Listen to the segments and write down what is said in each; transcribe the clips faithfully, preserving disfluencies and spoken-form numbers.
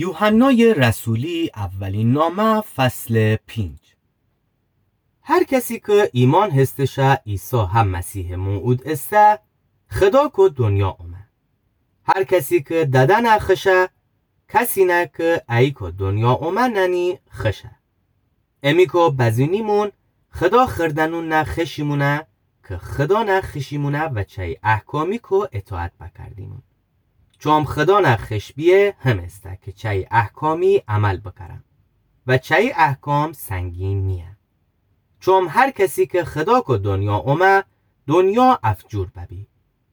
یوحنای رسولی، اولین نامه، فصل پنج. هر کسی کی ایمأن هستشه عیسی هم مسیحٚ موعود ایسه، خدا کو دنیا اومه. هر کسی کی ددأنه خوشه، کسی نه کی ایکو دنیا اومه نأنی خوشه. امیکو بزینیمون خدا خوردنون نه خوشیمونه کی خدا نه خوشیمونه و چای احکامی کو اطاعت بکردیمون. چوم خدا نه خوش بیه هم ایسته کی چای احکامی عمل بکرم و چای احکام سنگین نییه. چوم هر کسی کی خدا کو دنیا اومه، دنیا افجور ببی.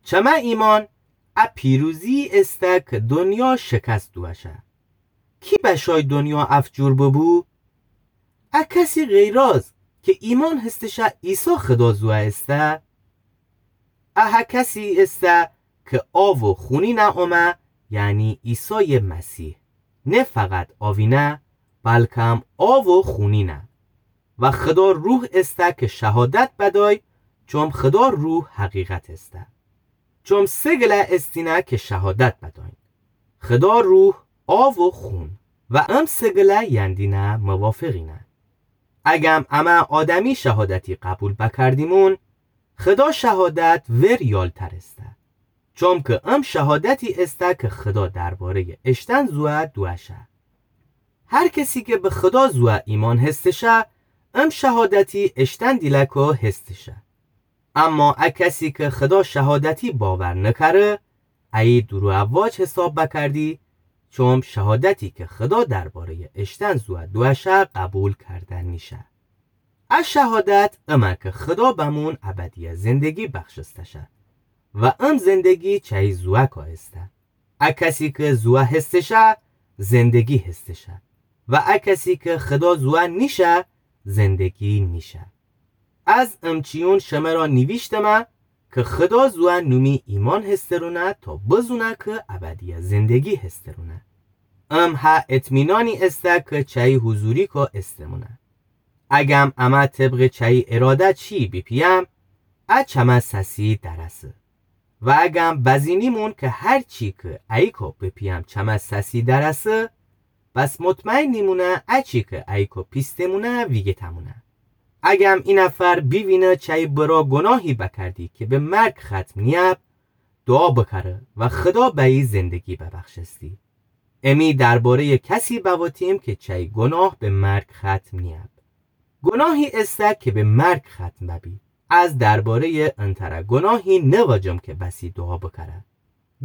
چمه ایمأن ا پیروزی ایسته کی دنیا شکست دووشه. کی بشای دنیا افجور ببو؟ ا کسی غیراز کی ایمأن هستشه عیسی خدا زوه ایسته. ا هه کسی ایسته کی آو و خونی نه اومه، یعنی عیسای مسیح. نه فقط آوی نه، بلکم آو و خونی نه. و خدا روح ایسته کی شهادت بدای، چوم خدا روح حقیقت ایسته. چوم سه گله ایستینه کی شهادت بداین. خدا روح، آو و خون. و ام سه گله یندینه موافقینه. اگم امه آدمی شهادتی قبول بکردیمون، خدا شهادت ور یالتر ایسته. چوم کی ام شهادتی ایسته کی خدا درباره‌یٚ اشتن زوه دووشه. هر کسی کی به خدا زوه ایمأن هستشه، ام شهادتی اشتن دیلکو هستشه. اما ا کسی کی خدا شهادتی باور نکره، ایی دورو اواج حساب بکردی، چوم شهادتی کی خدا درباره‌یٚ اشتن زوه دووشه قبول کرده نیشه. ا شهادت امه کی خدا بمون ابدیٚ زندگی بخشستشه و ام زندگی چای زوأکا ایسته. ا کسی کی زوأ هستشه، زندگی هستشه و ا کسی کی خدا زوأ نیشه، زندگی نیشه. از امچیون شمرا نیویشتمه کی خدا زوأ نومی ایمأن هسترونه تا بزونه کی ابدیٚ زندگی هسترونه. ام هه اطمینانی ایسته کی چای حضوریکا ایستمونه. اگم امه طبقٚ چای اراده چی بیپیم، ا چمه سسی درسه. و اگم بزینیمون کی هر چی کی ایکو بیپیم چمه سسی درسه، بس مطمئن نیمونه ا چی کی ایکو پیستمونه ویگیتمونه. اگم ای نفر بیوینه چای برا گناهی بکردی کی به مرگ ختم نیب، دوعا بکره و خدا بأیی زندگی ببخشستی. امی درباره‌یٚ کسی بواتیم کی چای گناه به مرگ ختم نیب. گناهی ایسته کی به مرگ ختم ببی. از درباره‌یٚ انتره گناهی نواجم کی بسی دوعا بکره.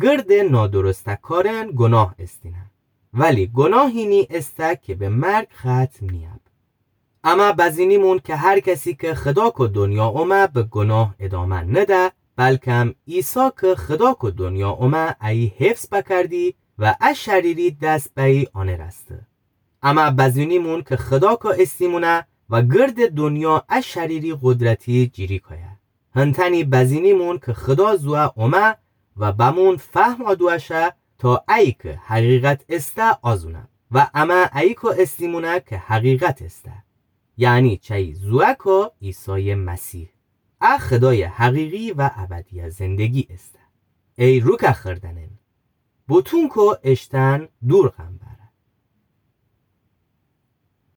گردٚ نادرسته کارن گناه ایستینه، ولی گناهی نییسته کی به مرگ ختم نیب. امه بزینیمون کی هر کسی کی خدا کو دنیا اومه به گناه ادامه نده، بلکم عیسی کی خدا کو دنیا اومه ایی حفظ بکردی و ا شریری دس بأیی آنه رسته. امه بزینیمون کی خدا کو ایستیمونه و گردٚ دنیا ا شریری قدرتی جیریکایه. هنتأنی بزینیمون کی خدا زوأ اومه و بمون فهما دووشه تا ایی کی حقیقت ایسته آزونه و امه ایکو ایستیمونه کی حقیقت ایسته. یعنی چای زوأکا عیسایٚ مسیح. ا خدایٚ حقیقی و ابدیٚ زندگی ایسته. ای روکه خوردنن، بوتون کو اشتن دور قنبر.